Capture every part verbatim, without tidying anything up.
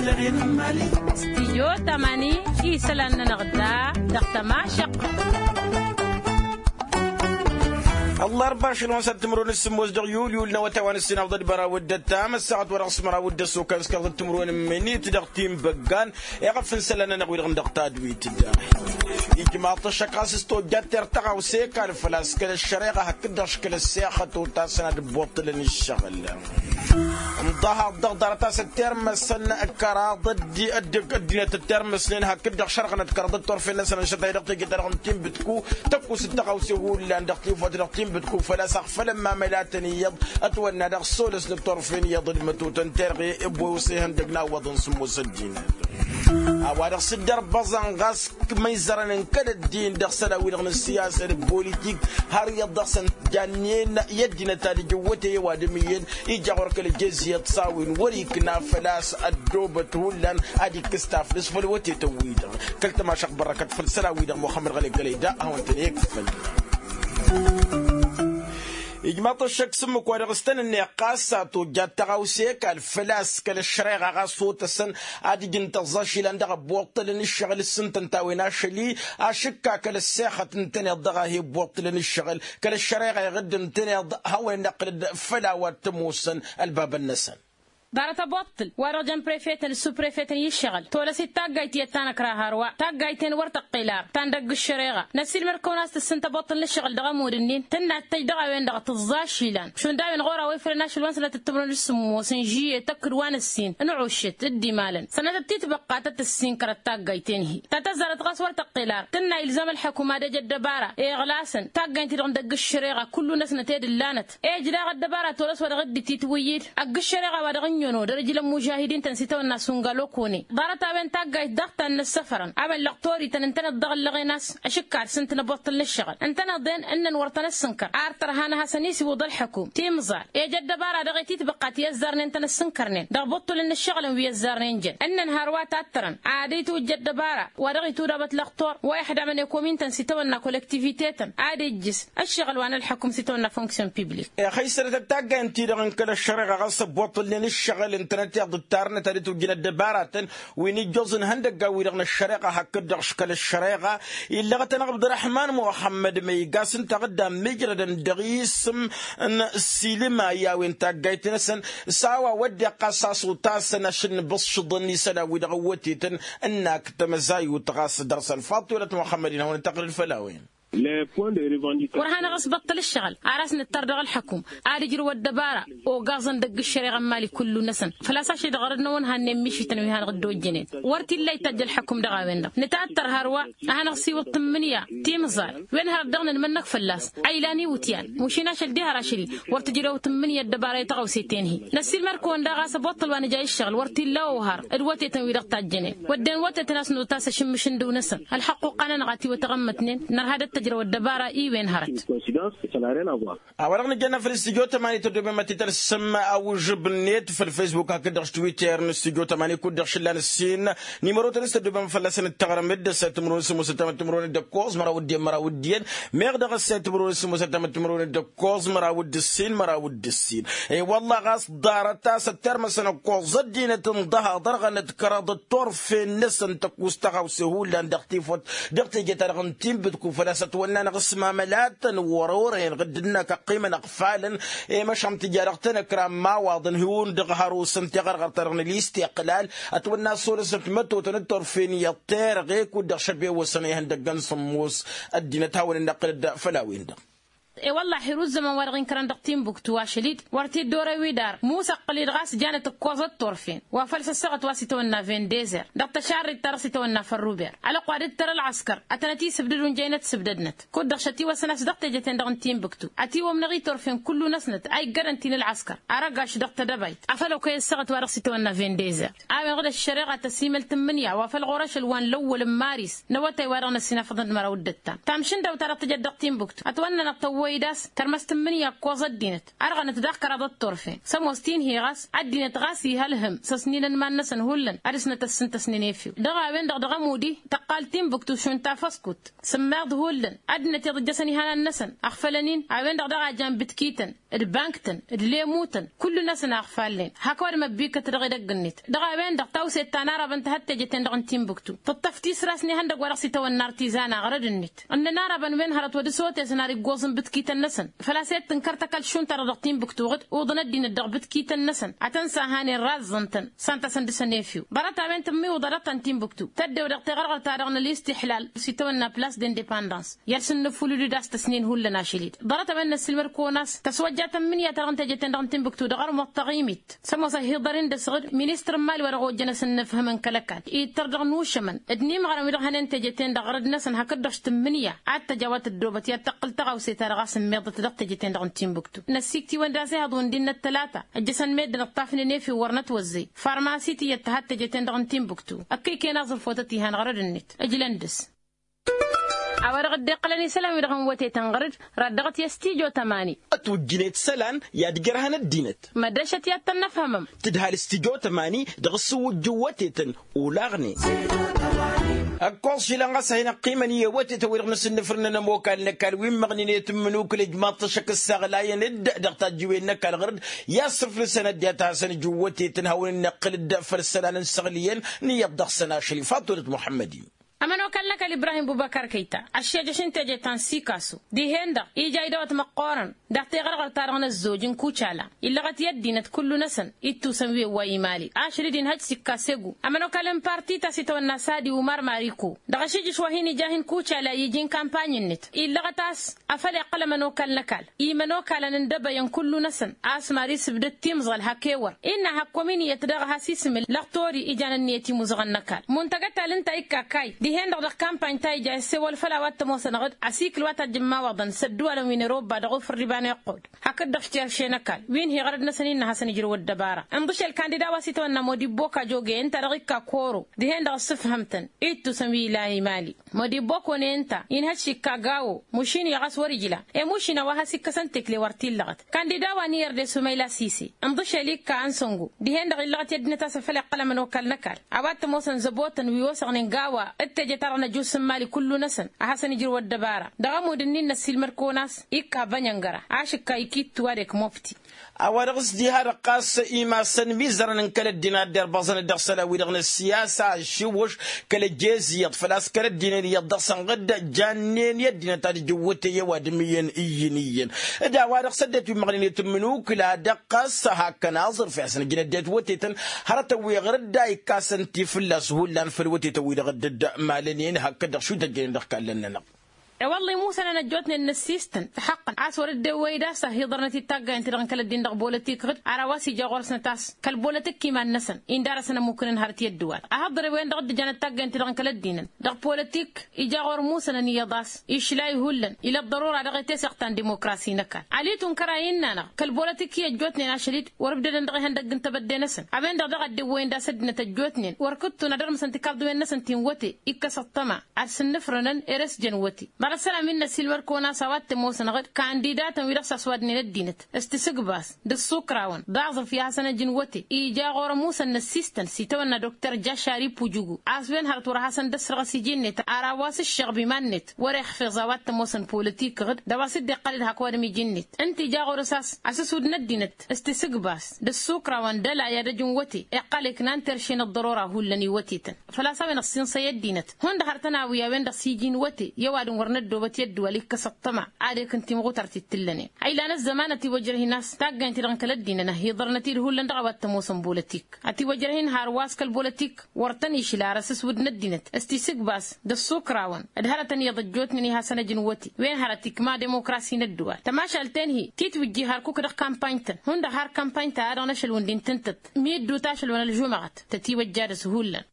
Stijyo tamani isălan-nănăɣ da dăɣ-tămašăɣt. Ăllarba ašăl-wăn s-ad-timǝrwen s-sǝmmos dăɣ-yul yul n-awătay wa n-ǝssin awḍăt băraw d-ăttam ăssaɣăt wa dăɣ-s măraw d-ăssokăn s-kăɣ-tăt timǝrwen n-imǝnit dăɣ-tinbăggan. Iɣăf n-isălan-nănăɣ wi-dăɣ n-dăɣ tadwit da ijmaḍ-t ăššăk ɣas s-tojjat tirr tăɣawse kal făl-a-s kăl-ăššăreɣa hakd-dăɣ š-kăl-ăssexăt otasăn ad-ǝbbuṭṭǝlăn ǝššăɣǝl. Ǝnḍăhăḍ dăɣ-ḍarăt a-s ăttirmăsăn kăraḍ ăddinăt ăttirmăsnen hakd-dăɣ šărɣănăt kăraḍ d-turfen-năsăn ănšăt a hi-dăɣ teje-ta-dăɣ n-tinbǝtku tăkkus d-tăɣawse hullan dăɣ-tifot dăɣ-tinbǝtku făl-a-s aɣfălăn ma mălatăn iyyăḍ ătwănna dăɣ-s olăsnăt turfen iyyăḍ d-mătotăn terɣe ăbboy osăy ihăndăg n-awwăḍăn sǝmmos ăddinăt. A-wa-dăɣ s-dd-ărbăẓăn ɣas măyzărăn n-kăl-ăddin dăɣ-isălan-wi-dăɣ n-ăssiyasăn d-politik har iyyăḍ dăɣ-săn jannen i-ăddinăt ad-ǝjǝwwăte i-ăwadǝm iyyăn ija ɣur-kăl-ăjeziyăt s-a-wen wăr-ikna făl-a-s ăddoobăt hullan ad-ikkǝs taflǝst făll-wătetăn-wi-dăɣ. Kăl-tămašăɣt bărrăkăt făll-isălan-wi-dăɣ muxămmăd ɣăli gălăy da a hawăn-tăn-ikfăn. Ijmaḍ-t ăššăk s-ǝmmǝk wa dăɣ-s tăn-ǝnneɣ ɣas a tojjat tăɣawse kal făl-a-s kăl-ăššăreɣa ɣas otăsăn ad-ǝjǝn tăẓẓa ašilăn dăɣ-ăbbuṭṭălăn ǝššăɣǝl s-ǝntăn ta-wen ašăl-i. Ašǝkka kăl-ăssexăt ǝntăneḍ dăɣ-a hi-ăbbuṭṭǝlăn ǝššăɣǝl kăl-ăššăreɣa iɣǝdd ǝntăneḍ hawăn-dd-iqqǝlăd făll-a-wa t-ămoosăn ălbabăn-năsăn. Ḍarăt ăbbuṭṭǝl wa-dăɣ jăn prefetăn d-suprefetăn i-ǝššăɣǝl tolăs-dd taggayt iyyăt ta năkra hărwa taggayt-en wăr tăqqel ar ta n-dăgg-ǝššăreɣa. Năssiilmăd-kăwăn a-s tǝssǝn tăbbuṭṭǝl n-ǝššăɣǝl dăɣ-ămudd-ǝnnin tǝnna d-tăjj dăɣ-a-wen-dăɣ tǝẓẓa ašilăn šund a-wen ɣur-a-wa ifrăn ašăl wa n-sănatăt timǝrwen d-sǝmmos n-žiyet tăkk d-wa n-ǝssin n-ušǝt d-imalăn sănatăt titbăqqa ta tǝssin kărăt taggayt-en-hi ta tăzzarăt ɣas wăr tăqqel ar tǝnna ilzam ălḥăkum ad-ej ăddăbara iɣlasăn taggayt-ti-dăɣ n-dăgg-ǝššăreɣa kullu-năsnăt ed ǝllanăt ej daɣ ăddăbara tolăs wa dăɣ-dd-ititwǝyyǝd ăgg-ǝššăreɣa wa dăɣ-ǝnnyăno dăr-ǝjlăn mužahidin-tăn s-itawănna sungalokone ḍarăt-a-wen taggayt daɣ ta n-inǝssăfărăn amăllăɣ torităn ǝntăneḍ dăɣ-ǝllăɣen a-s ašǝkka ad-sǝntǝn ăbbuṭṭǝl n-ǝššăɣǝl ǝntăneḍ-en ǝnnăn wăr tăn-ăssǝnkăr ar tărha n-ehăsăn-i s-iwǝḍ ălḥăkum timẓal ej ăddăbara dăɣ-e titbăqqa ti ăzzarnen tăn-ăssǝnkărnen dăɣ-ibuṭṭǝlăn n-ǝššăɣǝlăn wi ăzzarnen jăn ǝnnăn hărwa tattărăn ad-itwǝjj ăddăbara wa dăɣ-itudab ătlăɣtor wa iḥdamăn ekomin-tăn s-itawănna kolektivite-tăn ad-ijjǝs ǝššăɣǝl wa n-ălḥăkum s-itawănna fonksyon piblik. Ixăy sănătăt taggayt-ti-dăɣ n-kăl-ăššăreɣa ɣas ăbbuṭṭǝlnen ǝššăɣǝl ǝntănăt iḍǝttarnăt ad-itwǝjjǝn ăddăbaratăn wi n-ijjoẓ n-ihăndăggan-wi-dăɣ n-ăššăreɣa hakd-dăɣ š-kăl-ăššăreɣa. Illăɣăt-anăɣ abdăraḥman muxămmăd ma iga s-ǝnta aɣǝddam mijrădăn dăɣ-isǝm n-silǝma i-a-wen taggayt-năsăn s-a-wa wădden ɣas a-s otasăn ašăl n-ibǝṣšǝḍăn isălan-wi-dăɣ ăwwătetăn ǝnnak tamăzayut ɣas dăr-săn faḍt-i wălăt muxămmăd-in hawăn-dd-taqrǝd făll-a-wen. Wăr hanăɣ-ăsbăṭṭăl ǝššăɣǝl ar a-s nǝttar dăɣ-ălḥăkum ad-ǝjrǝw ăddăbara ogaẓăn dăgg-ǝššăreɣa n-imali kullu-năsăn făl-a-s ašăl-i-dăɣ ărăd n-awăn hannen mišităn wi hanăɣ-dd-ojjănen wăr t-illa itajj ălḥăkum dăɣ-a-wen-dăɣ nǝtattăr hărwa ad-hanăɣ-siwǝḍ tǝmmǝnǝya timẓal wen hărăt dăɣ-nǝnmănnăk fălla-s a ilan iwǝtyan mušin ašăl diha ar ašăl-i wăr tǝjrăw tǝmmǝnǝya ăddăbara i-tăɣawse-ten-hi. Năssiilmăd-kăwăn daɣ a-s ăboṭṭăl wa nǝja i-ǝššăɣǝl wăr t-illa ohar d-wătetăn-wi-dăɣ tajjănen wădden wătetăn a-s notas ašǝmmǝš n-dăw-năsăn ălxăqquqa-nănăɣ a t-iwătăɣămmătnen nărha d-ăttăjrăw ăddăbara i-wen hărăt. A-wa-dăɣ nǝjănna făll-studyo tămani tăddobem ad-t-tălsăm awǝžžǝb-net făll-facebook hakd-dăɣ s-twitter n-studyo tămani kud-dăɣ šǝllan ǝssin. Nimărotăn s-tăddobem fălla-săn d-taɣrăm-dd ăssayăt timǝrwen s-ămoosăt tamăt timǝrwen d-ǝkkoẓ măraw d-en măraw d-iyyăn meɣ dăɣ-ăssayăt timǝrwen s-ămoosăt tamăt timǝrwen d-ǝkkoẓ măraw d-ǝssin măraw d-ǝssin. I-wălla ɣas ḍarăt a-s ăttermăsăn ǝkkoẓ ăddinăt n-dăha ḍărɣănăt kăraḍăt turfen-năsăn tăkkus tăɣawse hullan dăɣ-tifăt dăɣ-teje-ta-dăɣ n-tinbǝtku făl-a-s ătwănna-năɣ s-mamălatăn wăr-orăyăn ɣǝdd-năk ăqqimăn ăɣfalăn. I-măšan tǝja dăɣ-tenăkra n-imawaḍăn hi-undăɣ hărosăn tiɣărɣărt-ta-dăɣ n-ilistiqlal ătwănna s-olăsnăt mătotăn d-turfen iyyăḍ terɣe kud-dăɣ šăbewăsăn ihăndăggăn sǝmmos ăddinăt hawăn-in-năqqǝlăd făll-a-wen-dăɣ. E-wălla-hi ru ǝzzăman wa dăɣ-inkărăn dăɣ-tinbuktu ašăl-dd wăr t-dd-orăy wi d-ar musăqqǝl-dd ɣas janăt ǝkkoẓăt turfen wa făl săssăɣăt wa s-itawănna vendezer dăɣ-tăšarret-ta-dăɣ s-itawănna fălruber ălăqq wa dd-tăr ălɣăskăr ătănăt-isǝbdǝd unjăynăt sǝbdădnăt kud-dăɣ šătiwăsăn a-s dăɣ-teje-ten-dăɣ n-tinbuktu ătiwămnăɣ i-turfen kullu-năsnăt a iggădăn ti n-ălɣăskăr. Ar ăgaš dăɣ-tedăbayt afăl okăy ăssaɣăt wa dăɣ-s itawănna vendezer a-wen-dăɣ d-ăššăreɣa tăsimăl tǝmmǝnǝya wa făl ɣur-ašăl wa n-lăwwăl n-maris n-awătay wa dăɣ-năssinafăḍăn d-măraw d-ǝttam tamšǝndăwt ta dăɣ-tǝjăt dăɣ-tinbuktu ătwănnănăɣ tăwwăl. Wăy d-a-s tărmăs tǝmmǝnǝya ǝkkoẓ ăddinăt ărɣănăt daɣ kăraḍăt turfen. S-ămoos tinhi ɣas ăddinăt ɣas ihălhǝm s-ăsninăn iman-năsăn hullan ad-ǝsnăt ăssǝntăsnen efew. Dăɣ-a-wen-dăɣ dăɣ-ămudi tăqqal timbuktu šund tafăskut. Sǝmmeḍ hullan ăddinăt iḍǝjjăsăn ihanan-năsăn ăɣfălăn-in. A-wen-dăɣ daɣ a jan bǝtkităn d-bank-tăn d-lemutăn kullu-năsăn a ăɣfallen. Hak ăwadǝm ăbbikkăt dăɣ-edăgg-net dăɣ-a-wen-dăɣ tawset ta n-arabăn tăhăt teje-ten-dăɣ n-timbuktu tăṭṭăf tisra-s n-ihăndăgg wa dăɣ-s itawănna artizan aɣrăd-net. Ǝnnăn arabăn wen hărăt wăr dd-sotesăn ar iggoẓ n-bǝtkităn-năsăn. Făl-a-s ed tǝnkăr tăkall šund-ta-dăɣ dăɣ-timbuktu ɣǝd uḍăn ăddinăt dăɣ-bǝtkităn-năsăn ad-tăn-săhanen razzăn-tăn. S-ant-asăn dăr-săn efew ḍarăt-a-wen tǝmmiwǝḍ ad-ăṭṭăn timbuktu tăddew dăɣ-teɣărɣărt-ta-dăɣ n-ălistiḥlal s-itawănna plas d-indepandans. I-ad-sǝnnǝfulǝd d-a-s tăsnen hullan ašăl-dd ḍarăt-a-wen n-ăssiilmăd-kăwăn a-s tăswăjja tămmǝnǝya-ta-dăɣ n-teje-ten-dăɣ n-timbuktu dăɣ-armuḍ taɣimit. S-ămoos ăhiḍăr-in dăɣ-s ɣǝd ministăr n-imali wa dăɣ-ojjăn asǝnnǝfhǝmăn kăl-ăkall ittăr dăɣ-inušămăn d-inǝmɣărăn wi-dăɣ hănen teje-ten-dăɣ ɣărăd-năsăn hakd-dăɣ s-tǝmmǝnǝya ad-tăj a-wa tăddoobăt i-ad-tăqqǝl tăɣawse-ta-dăɣ a-s ǝmmiḍăt dăɣ-teje-ten-dăɣ n-timbuktu. N-ăssiikt-iwăn d-asǝhăḍ wǝndin n-ăttălata ǝjjăsăn meddǝn ǝṭṭafnen efew wăr nătwăzzey farmasi tiyyăt tăhat teje-ten-dăɣ n-timbuktu. Ăkkăy-kăyăn aẓrǝf wătăt ihăn ɣărăd-net. Ǝjlăn dăɣ-s a-wa-dăɣ dd-iqqălăn isălan-wi-dăɣ n-wătetăn ɣăr-dd raddăɣăt i-ăstijo tămani. Ătwǝjjǝnet isălan i-ad-ǝjrăhăn ăddinăt. Măddăšăt i-ad-tăn-năfhămăm. Tǝdhal ăstijo tămani dăɣ-ǝssǝwǝjjǝw wătetăn olaɣnen. Ăkkoẓ šilăn ɣas a hin-ăqqimăn i-wătetăn-wi-dăɣ n-asǝnnǝfrǝnăn ămokal n-ăkall wi n-măɣnǝnet n-imǝnukǝl ǝjmaḍ-t ăššăk ǝssaɣlayăn-dd dăɣ-tajjiwen n-ăkall ɣăr-dd. I-assǝflǝsăn ăddinăt a hasăn-ǝjǝw wătetăn hawăn-dd-năqqǝl-dd făll-isălan n-săɣliyăn n-iyyăḍ dăɣ-săn ašăl ifaḍ tolăt muḥămmăd-in. Ămănokal n-ăkall ibrahim bubăkar kăyta ăššejăš n-teje ta n-sikasu dihen-dăɣ ija idăwăt măqqoorăn. Dăɣ-teɣărɣărt-ta-dăɣ n-ăzzoj n-kucala illăɣăt i-ăddinăt kullu-năsăn ittusăn wi ăwwa imali ašăl-dd inhăj s-ikka segu. Ămănokal n-parti ta s-itawănna sadi umar mariku dăɣ-ašijǝš wa hin-ija hin-kucala iji n-kampany-net illăɣăt a-s afăl iqqăl ămănokal n-ăkall imănokalăn n-dăbăyăn kullu-năsăn. A-s mari s-ǝbdăt timẓal hak ewăr innă hak kăwăm-in iyyăt daɣ a has-isǝm lăɣ tori ijan ǝnniyăt imuzăɣăn n-ăkall. Muntăgăt ta l-ǝnta a ikka kayy dihen-dăɣ dăɣ-kampany ta ija issewăl făll-a-wa t-ămoosăn ɣǝd asikǝl wa tajjǝmmawăḍăn s-ădduwalăn wi n-erobba dăɣ-ufǝrriba n-iqqud. Hakd-dăɣ s-terše n-ăkall wi n-hi-ɣărăd-năsăn innă a hasăn-ǝjrǝw ăddăbara. Ǝnḍǝšel kandida wa s-itawănna modibbo kajoge ǝnta-dăɣ ikka koro dihen-dăɣ ǝssǝfhăm-tăn ittusăn wi ilan imali. Modibbo kone ǝnta inhăj s-ikka gawo mušin-i ɣas wăr-ijla i-mušin a-wa has-ikkăsăn tekle wăr t-illăɣăt. Kandida wa n-iyyăr d-esumăyla sise ǝnḍǝšel ikka ănsăngo dihen-dăɣ illăɣăt i-ăddinăt a-s afăl iqqăl ămănokal n-ăkall. A-wa t-ămoosăn zăbotăn wi osăɣnen gawa d-teje-ta-dăɣ n-ăjus n-imali kullu-năsăn a hasăn-ijrǝw ăddăbara. Dăɣ-ămudd-ǝnnin n-ăssiilmăd-kăwăn a-s ikka bănyăngăra ašǝkka ikittu a d-ekmobti. A-wa dăɣ-s diha dăɣ-ɣas imassăn imizărăn n-kăl-ăddinăt ad-dd-irbăẓăn dăɣ-isălan-wi-dăɣ n-ăssiyasa ašǝwwǝš kăl-ăjjez iyyăḍ făl-a-s kăl-ăddinăn iyyăḍ dăɣ-săn ɣǝdda jannen i-ăddinăt ad-ǝjǝwwǝtăy i-ăwadǝm iyyăn iyyăn iyyăn. D-a-wa-dăɣ s-ăddinăt wi n-imăɣnen i-tǝmmǝnukǝla dăɣ-ɣas hakkăn aẓrǝf i-ad-săn ǝjǝn ăddinăt wătetăn hărătăn wi ɣǝr-dd a ikka a-s ănti fǝlla-s hullan făll-wătetăn-wi-dăɣ dd-malănen hakd-dăɣ šund ăjjănen dăɣ-ikallăn-nănăɣ. E-wălla imusănăn ăjjootnen n-ăssiistăn tăxăqqăn a-s wăr-dd-ewwăy d-a-s ăhiḍărnăt i-taggayăn-ti-dăɣ n-kăl-ăddin dăɣ-bolotik ɣǝd ar a-wa s-ija ɣur-snăt a-s kăl-bolotik iman-năsăn indarăsăn ămmukǝnăn hărăt i-ăddǝwal. Ahăḍre-wen-dăɣ dd-ǝjănăt taggayăn-ti-dăɣ n-kăl-ăddinăn ddăɣ-bolotik ija ɣur-imusănăn iyyăḍ a-s išlay hullan ila ăḍḍărora dăɣ-teseɣt ta n-dimukrasi n-ăkall. Ali tunkăr a innă-năɣ kăl-bolotik i-ăjjootnen ašăl-dd wăr-ǝbdădăn dăɣ-ihăndăgg n-tebădde-năsăn a-wen-dăɣ daɣ a dd-ewwăyăn d-a-s ăddinăt ăjjootnen wăr kǝttun ad-ărmăsăn tikarḍiwen-năsăn ti n-wăte. Ikkăs ăṭṭăma ad-sǝnnǝfrănăn ere-s jăn wăte. Ḍarăt isălan wi n-năssiilmăd-kăwăn a-s a-wa t-ămoosăn ɣǝd kandidatăn wi-dăɣ s-ăswadnen ăddinăt s-tisǝgbas d-ǝssukrawăn d-aẓrǝf i-ad-hasăn-ăj n-wăte. Ija ɣur-ămusăn n-ăssistăn s-itawănna dokter jašari pujugu a-s wen hărăt wăr-hasăn-dd-ăssărɣăs iji-net ar a-wa s-ǝššăɣb iman-net wăr-ixfiẓ a-wa t-ămoosăn politik ɣǝd d-a-wa s-dd-iqqăl-dd hak ăwadǝm iji-net. Ǝnta ija ɣur-s a-s asǝsud n-ăddinăt s-tisǝgbas d-ǝssukrawăn d-ălay ad-ăj n-wăte iqqăl iknan terše n-ăḍḍărora hullan iwătetăn. Făl-a-s a-wen ăssinsăy ăddinăt hundăɣ har tăn-awǝy a-wen-dăɣ s-iji n-wăte i-ăwadǝm wăr năddoobăt i-ăddǝwal ikkăs ăṭṭăma ad-ekǝn timɣutărt d-tǝllănen. A ilan ăzzămanăt iwăjrăh-in a-s taggayăn-ti-dăɣ n-kăl-ăddinăn ăhiḍărnăt-dd hullan dăɣ-a-wa t-ămoosăn bolotik ătiwăjrăh-in hărwa s-kăl-bolotik wăr tăn-išla ar ăsǝswǝd n-ăddinăt s-tisǝgbas d-ăssukrawăn d-hărătăn iyyăḍ ăjjootnen i-hasăn-ăj n-wăte wen hărăt ikma demokrasi n-ăddǝwal. Tămašalt-en-hi titwǝjji hărkuk dăɣ-kampany-tăn hundăɣ har kampany-ta-a-dăɣ n-ašăl wǝndin tǝntăt. Mi dd-uta ašăl wa n-ălžumăɣăt tătiwăjja dăɣ-s hullan.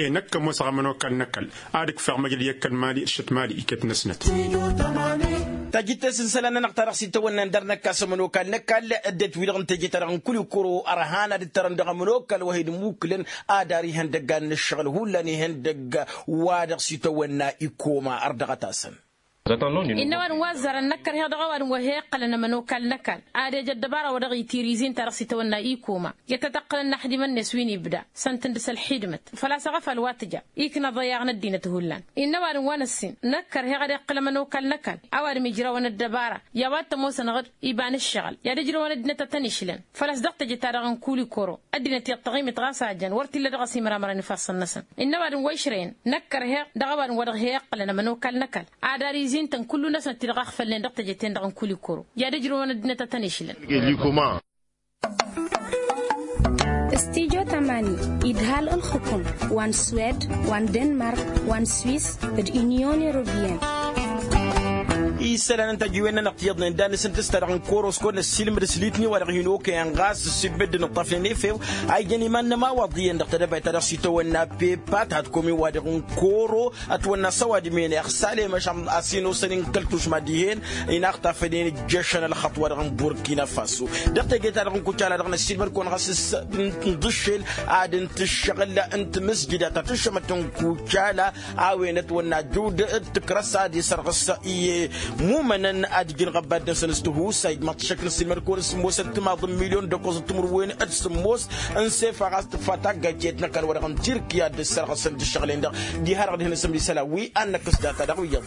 E-năkk ămoosăɣ ămănokal n-ăkall ad-ǝkfeɣ măjrăd i-ăkall mali d-šăt mali iket-năsnăt. Tajǝttes n-isălan-nănăɣ ta dăɣ-s itawănna n-dăr-năkk a-s ămănokal n-ăkall ăddinăt-wi-dăɣ n-teje-ta-dăɣ n-kulikuro ărhan ad-ǝttărăn dăɣ-ămănokal wa hi-dd-muklăn ad-ar ihăndăggan n-ǝššăɣǝl hullan ihăndăgg wa dăɣ-s itawănna ikoma ărdăɣăt-asăn. Innă ăwadǝm wa ăzzarăn năkkărheɣ dăɣ-ăwadǝm wa he-iqqălăn ămănokal n-ăkall ad-ej ăddăbara wa dăɣ-itirizin ta dăɣ-s itawănna ikoma i-ad-tăt-ăqqǝlăn n-aḥdimăn-net wi n-ibda s-ăntǝndǝs ălxidmăt făl-a-s ăɣăfal wa tǝja ikna ăḍăyyaɣ n-ăddinăt hullan. Innă ăwadǝm wa năssin năkkărheɣ ad-iqqǝl ămănokal n-ăkall ăwadǝm ijrăwăn ăddăbara i-a-wa t-ămoosăn ɣǝd iba n-ǝššăɣǝl i-ad-ǝjrăwăn ăddinăt ad-tăn-išlăn făl-a-s dăɣ-teje-ta-dăɣ n-kulikoro ăddinăt iyyăḍ taɣimit ɣas a jăn wăr t-illa dăɣ-s imramărăn ifassăn-năsăn. Innă ăwadǝm wa išrăyăn năkkărheɣ dăɣ-ăwadǝm wa dăɣ-he-iqqălăn ămănokal n-ăkall ad-ar izintăn kullu-năsnăt ti dăɣ-axfălnen dăɣ-teje-ten-dăɣ n-kulikoro i-ad-ǝjrăwăn ăddinăt ad-tăn-išlăn. Studyo tamani idhal ǝlxǝkǝm wa n-swed wa n-denmark wa n-swis d-inyon europiyăn. Isălan n-tajiwen-nănăɣ tiyyăḍnen dan-năsăn tǝsta dăɣ-n korosko n-ăssiilmǝd s-litni wa dăɣ-hin-okăyăn ɣas s-ibbădd n-ǝṭṭafnen efew a ijăn iman-nămawaḍ iyyăn dăɣ-tedăbayt ta dăɣ-s itawănna pepa tăhătkom-i wa dăɣ-n koro ătwănna s-ăwadǝm-en iɣsal i-măšan a-s hin-osăn-in kăl-tušma dihen inaxtafănen ǝjješăn ălxăṭṭ wa dăɣ-n burkina faso. Dăɣ-teje-ta-dăɣ n-kucala dăɣ-năssiilmăd-kăwăn ɣas s-nǝḍǝššel ad-ǝnta ǝššăɣǝl n-timǝsjǝda ta tǝššămăt n-kucala a-wen ătwănna jud d-tikrăs ad-isărɣǝs i-mumănăn ad-ǝjǝn ɣăbbad-năsăn s-tihusay d-imaḍ tǝššăk n-ăssiilmăd-kăwăn s-sǝmmosăn timaḍ n-milyon d-ăkkoẓ d-timǝrwen d-sǝmmos n-sefa ɣas tǝkfa taggayt tiyyăt n-ăkall wa dăɣ-n tirkiya d-ǝssărɣǝsăn d-ǝššăɣǝl-en-dăɣ. Diha-dăɣ ad-hin-asǝmd isălan wi ad-năkkăs data-dăɣ wi iyyăḍ.